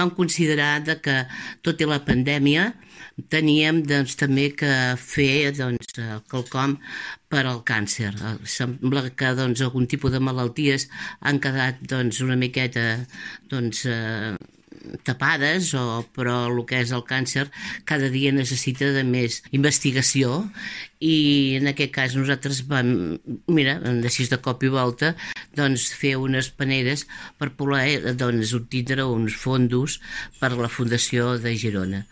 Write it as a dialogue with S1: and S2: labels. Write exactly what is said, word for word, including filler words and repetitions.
S1: vam considerar de que, tot i la pandèmia, teníem doncs, també que fer doncs, quelcom per al càncer. Sembla que doncs, algun tipus de malalties han quedat doncs, una miqueta doncs, eh, tapades, o, però el que és el càncer cada dia necessita de més investigació, i en aquest cas nosaltres vam, mira, així de cop i volta, doncs, fer unes paneres per poder doncs, obtindre uns fondos per a la Fundació de Girona.